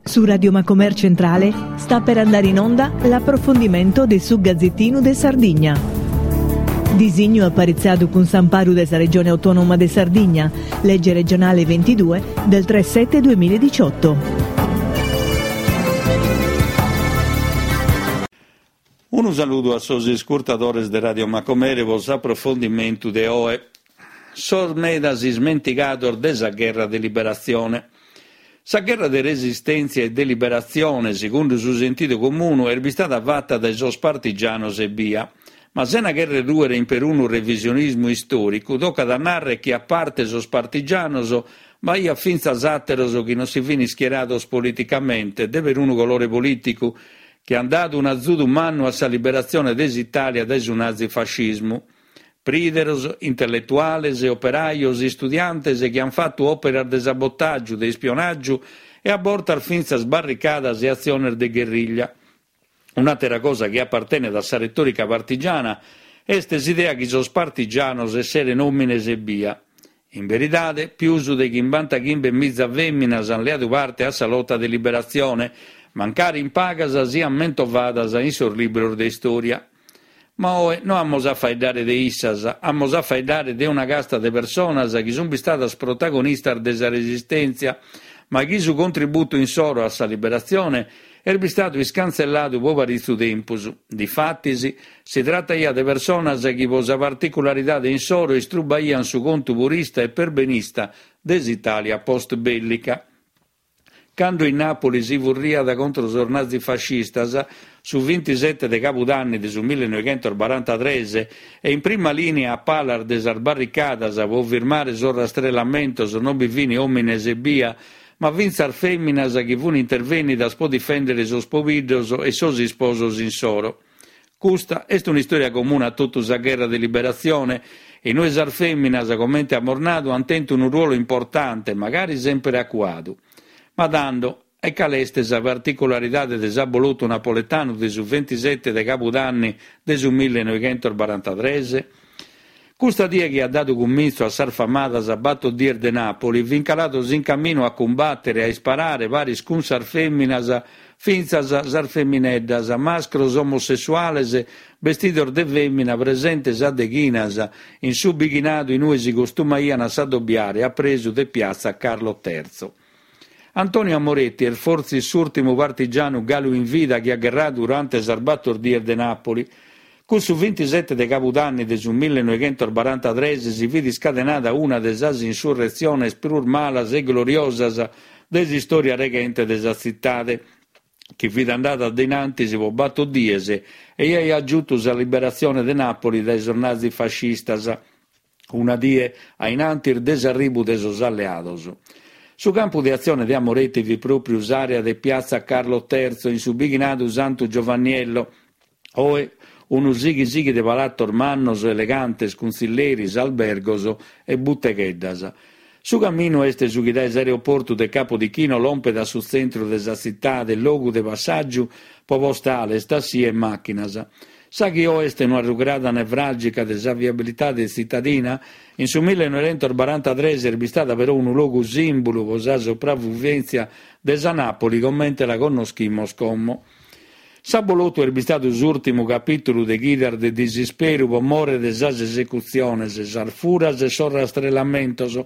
Su Radio Macomer Centrale sta per andare in onda l'approfondimento de su Gazzettinu de Sardigna. Disignu aparitzadu cun s'amparu de sa Regione Autonoma de Sardigna, legge regionale 22 del 3 7 2018. Unu saludu a sos iscurtadores de Radio Macumere pro s'aprofondimentu de oe. Sos medas ismentigados de sa gherra de liberatzione. Sa gherra de resistèntzia e de liberatzione, segundu su sentidu comunu, est bistada fata dae sos partigianos ebbia. Ma sena chèrrere rùere in perunu revisionismu istòricu, tocat a nàrrere chi a parte sos partigianos b'aiat fintzas àteros chi non si fin ischierados politicamente de perunu colore polìticu, chi an dadu un'azudu mannu a sa liberatzione de s'Itàlia dae su nazifascismu. Prìderos, intelletuales, operajos, istudiantes chi an fatu òperas de sabotàgiu, de ispionàgiu e a bortas fintzas barricadas e atziones de gherriglia. Un'àtera cosa chi apartenet a sa retòrica partigiana est s'idea chi sos partigianos esseren òmines ebbia. In beridade, pius de chimbantachimbe miza fèminas an leadu parte a sa lota de liberatzione, mancari in pagas sian mentovadas in sos libros de istòria. Ma oe no amus a faeddare de issas, amus a faeddare de una casta de personas chi sun bistadas protagonistas de sa resistèntzia, ma chi su contributu insoro a sa liberatzione est bistadu iscantzelladu pro paritzu tempus. Difatis, si trataiat de personas chi pro sa particularidade insoro istrubaian su contu purista e perbenista de s'Itàlia post-bèllica. Cando in Nàpoli si furriat contro sos nazifascistas, su vintisete de cabudanni de su millenoighentosbarantatres, e in prima lìnia a palas de sas barricadas pro firmare sos rastrellamentos non bi fin òmines ebbia, ma fintzas fèminas chi fun intervènnidas pro difèndere sos pobiddos e sos isposos insoro. Custa est un'istòria comuna a totu sa gherra de liberatzione, in ue sas fèminas, comente amus nadu, ant tentu unu ruolu importante, magari semper acuadu. Ma tando, e cale est sa particularidade de s'abolotu napoletanu de su ventisete de cabudanni de su millenoighentosbarantatres? Custa die chi at dadu cumintzu a sas famadas Bator dies de Nàpoli, fin calados in caminu a cumbàtere e a isparare paris cun sas fèminas fintzas sas femineddas, mascros omosessuales bestidos de fèmina presentes a deghinas in su bighinadu in ue si costumaian a s'adobiare a presu de piatza Carlo Terzo. Antonio Amoretti est fortzis s'ùrtimu partigianu galu in vida chi at gherradu durante sas Bator dies de Nàpoli. Cussu vintisete de cabudanni de su millenoighentosbarantatres si fit iscadenada una de sas insurretziones prus malas e gloriosas de s'istòria reghente de sa tzitade, chi fit andada a in antis pro bator dies e aiat giutu sa liberatzione de Nàpoli dae sos nazifascistas. una die a in antis de s'arribu de sos alleados. Su campu de atzione de Amoretti fit pròpriu s'àrea de Piazza Carlo Terzo in su bighinadu Santu Giovanniello, oe unu sighi sighi de palatos mannos elegantes cun tzilleris, albergos e butegheddas. Su caminu est su chi dae s'aeroportu de Capodichino lompet a su tzentru de sa tzitade, logu de passàgiu pro postales, tassì e màchinas. Sa chi oe est una rugrada nevràlgica de sa viabilitade tzitadina, in su millenoighentosbarantatres est bistada però unu logu sìmbulu pro sa sopravvivèntzia de sa Nàpoli comente la connoschimos como. S'abolotu est bistadu s'ùrtimu capìtulu de chidas de disisperu pro more de sas esecutziones, sas furas e sos rastrellamentos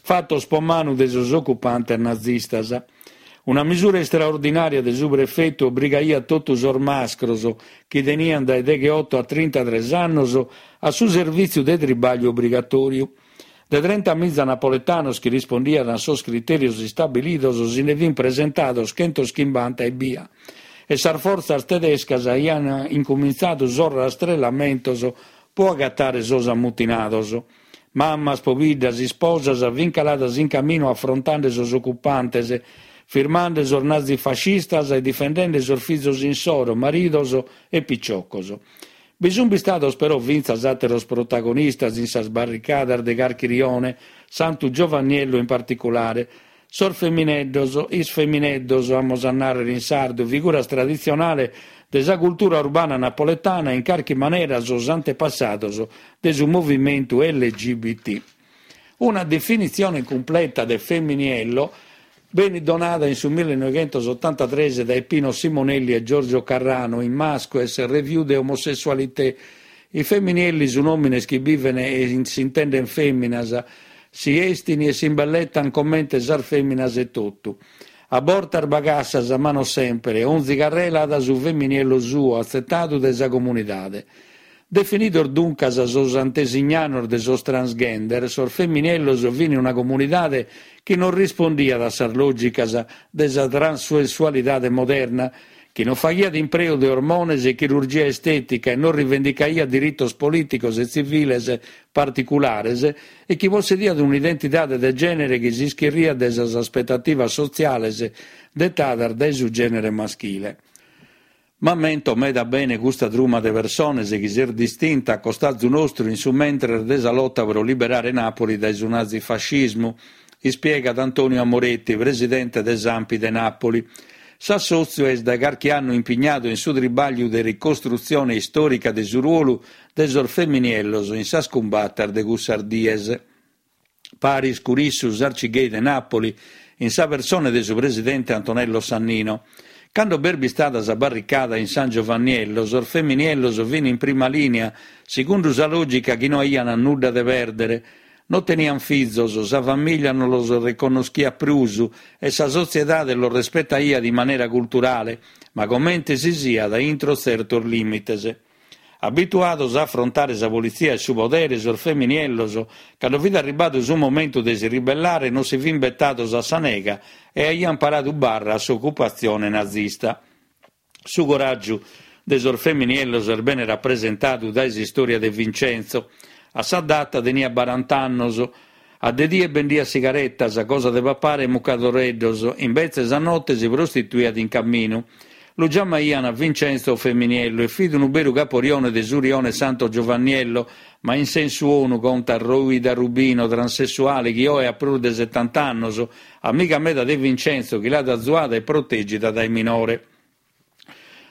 fatos pro manu de sos ocupantes nazistas. Una misura istraordinària de su prefetu obrigaiat totu sos mascros, chi teniant dae degheoto a trintatres annos, a su servìtziu de tribàgliu obrigatòriu. De trentamiza napoletanos chi rispondiant a sos critèrios istabilidos si nde fint presentados chentoschimbanta ebbia e sas fortzas tedescas aiant incumintzadu sos rastrellamentos pro agatare sos ammutinados. Mamas, pobiddas, isposas fint caladas in caminu afrontende sos ocupantes, firmende sos nazifascistas e difendende sos fizos insoro, maridos e piciocos. Bi sunt bistados però fintzas àteros protagonistas in sas barricadas de carchi rione, Santu Giovanniello in particulare. Sos femineddos, is femineddos, amus a nàrrere in sardu, figuras traditzionales de sa cultura urbana napoletana e in carchi manera sos antepassados de su movimentu LGBT. Una definitzione cumpleta de feminiello. Benit donada in su millenoighentosotantatres dae Pino Simonelli e Giorgio Carrano in Masques, Revue de Homosessualité. I femminielli sun òmines chi biven e s'intenden fèminas, si estin e s'imbelletan comente sas fèminas etotu. A bortas bagassas, ma no semper, onzi carrela at su femminiello suo atzetadu dae sa comunidade. Definidos duncas sos antesignanos de sos transgender, sos femminiellos fin una comunidade chi non rispondiat a sas lògicas de sa transessualidade moderna, chi non faghiat impreu de ormones e chirurgia estètica e non rivendicaiat diritos polìticos e tziviles particulares e chi possediat un'identidade de gènere chi s'ischirriat de sas aspetativas sotziales detadas dae su gènere maschile. M'ammento meda bene custa truma de persones chi s'est distinta a costazu nostru in su mentres de sa lota pro liberare Nàpoli dae su nazifascismu, ispiegat Antonio Amoretti, presidente de s'Anpi de Nàpoli. S'assòtziu est dae carchi annu impignadu in su tribàgliu de ricostrutzione istòrica de su ruolu de sos feminiellos in sas cumbatas de cussas dies. Paris cun issu s'Arcigay de Nàpoli, in sa persone de su presidente Antonello Sannino. Cando b'est bistada sa barricada in San Giovanniello, sos feminiellos fin in prima lìnia, segundu sa lògica chi no aian nudda de pèrdere. No tenian fizos, sa famìllia no los reconnoschiat prus e sa sotziedade los respetaiat in manera culturale, ma comente si siat intro tzertos lìmites. Abituados a afrontare sa politzia e su podere, sos feminiellos, cando fit arribadu su momentu de si ribellare, non si fin betados a sa nega e aian paradu barra a s'ocupatzione nazista. Su coràgiu de sos feminiellos est bene rapresentadu dae s'istòria de Vincenzo. A sa data teniat barant'annos. A de die bendiat sigaretas, cosa de papare e mucadoreddos, imbetzes a note si prostituiat in caminu. Lu giamaian Vincenzo 'o Feminiello e fit unu beru caporione de su rione Santo Giovanniello, ma in sensu 'onu, contat Roida Rubino, transessuale chi oe at prus de setant'annos, amiga meda de Vincenzo chi l'at azuada e protègida dae minore.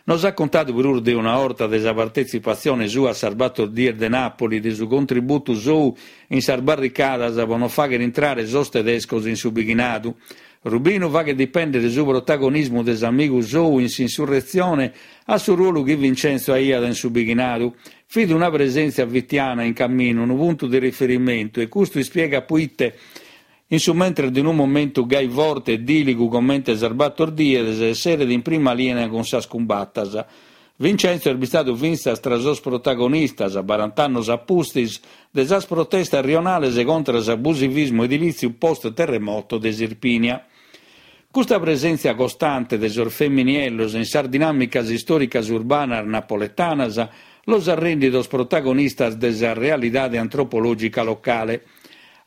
Nos at contadu prus de una 'orta de sa partetzipatzione sua a sas Bator Dies de Nàpoli, de su contributu sou in sas barricadas pro non fàghere intrare sos tedescos in su bighinadu. Rubinu faghet dipèndere su protagonismu de s'amigu sou in s'insurretzione a su ruolu chi Vincenzo aiat in su bighinadu. Fit una presèntzia fitiana in caminu, unu puntu de riferimentu e custu ispiegat proite In su mentres de unu momentu gai forte e dìligu comente sas bator dies, esseret in prima lìnia cun sas cumbatas. Vincenzo est bistadu fintzas tra sos protagonistas, barant'annos a pustis, de sas protestas rionales contra s'abusivismu edilìtziu post-terremoto de s'Irpinia. Custa presèntzia costante de sos feminiellos in sas dinàmicas istòricas urbanas napoletanas los at rèndidos protagonistas de sa realidade antropològica locale.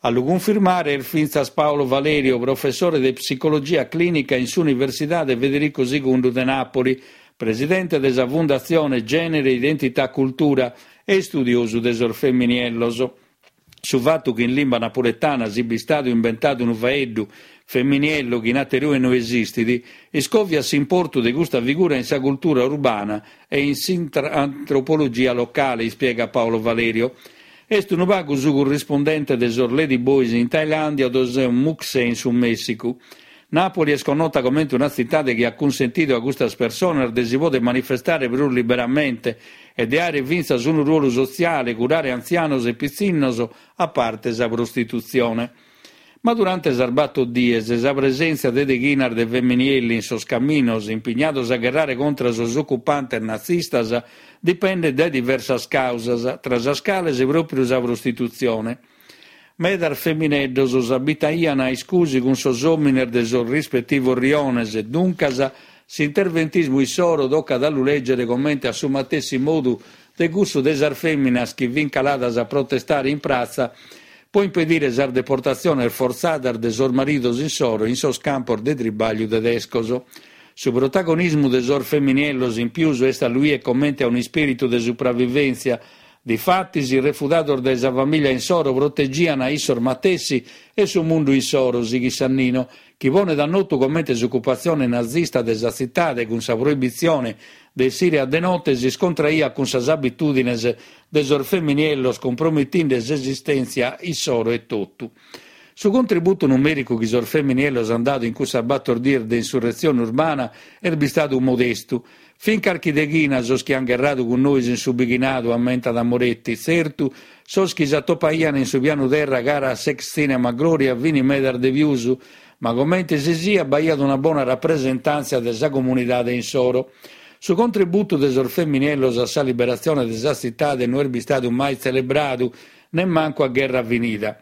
A lu cunfirmare est fintzas Paolo Valerio, professore de psicologia clìnica in s'Universidade Federico Segundu de Nàpoli, presidente de sa Fundatzione Genere Identità Cultura e istudiosu de sos feminiellos. Su fatu chi in limba napuletana siat bistadu imbentadu unu faeddu, feminiello, chi in aterue no esistit, iscòviat s'importu de custa figura in sa cultura urbana e in s'antropologia locale, ispiegat Paolo Valerio. Est unu pagu su currispundente de sos Lady Boys in Tailàndia o de sos Muxe in su Mèssicu. Nàpoli est connota comente una tzitade chi at cunsentidu a custas personas de si poder manifestare prus liberamente e de àere fintzas unu ruolu sotziale, curare antzianos e pitzinnos, a parte sa prostitutzione. Ma durante sas bator dies, sa presèntzia de deghinas de feminielli in sos caminos, impignados a gherrare contra sos ocupantes nazistas, dipendet dae diversas càusas, tra sas cales pròpiu sa prostitutzione. Medas femineddos s'abitaian a iscusi cun sos òmines de sos rispetivos riones, duncas s'interventismu issoro tocat a lu lègere comente a su matessi modu de cussu de sas fèminas chi fin caladas a protestare in pratza pro impedire sas deportatziones fortzadas de sos maridos insoro in sos campos de tribàgliu tedescos. Su protagonismu de sos feminiellos in pius est a lu 'ier comente a un'ispìritu de supravivèntzia, difatis, refudados dae sa famìlia insoro protegian a issos matessi e su mundu insoro, sighit Sannino, chi ponet a notu comente s'ocupatzione nazista de sa tzitade cun sa proibitzione de essire a de note s'iscontraiat cun sas abitùdines de sos feminiellos cumpromitinde s'esistèntzia issoro etotu. Su contributu numèricu chi sos feminiellos ant dadu in cussas bator dies de insurretzione urbana est bistadu modestu. Fin carchi deghina sos chi ant gherradu cun nois in su bighinadu, ammentat Moretti. Tzertu, sos chi s'atopaian in su pianu terra cara a s'ex tzìnema Gloria fin medas de pius, ma comente si siat b'aiat una bona rapresentàntzia de sa comunidade insoro. Su contributu de sos feminiellos a sa liberatzione de sa tzitade no est bistadu mai tzelebradu, nemmancu a gherra finida.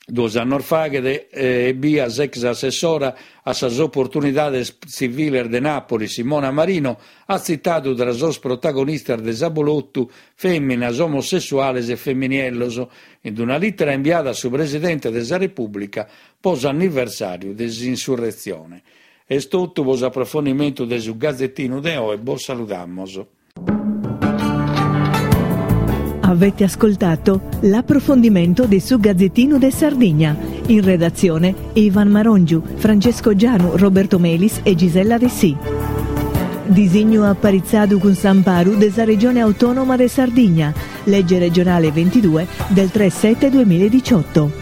Duos annos faghet ebbia s'ex assessora a sas oportunidades tziviles de Nàpoli, Simona Marino, at tzitadu tra sos protagonistas de s'abolotu fèminas omosessuales e feminiellos, in una lìtera imbiada a su presidente de sa Repùblica po s'anniversàriu de s'insurretzione. Est totu po s'aprofondimentu de su Gazetinu de oe, bos saludamos. Avete ascoltato l'approfondimento de su Gazzettino de Sardigna. In redazione Ivan Marongiu, Francesco Gianu, Roberto Melis e Gisella Dessì. Disignu aparitzadu cun s'amparu de sa Regione Autonoma de Sardigna, legge regionale 22 del 3 7 2018.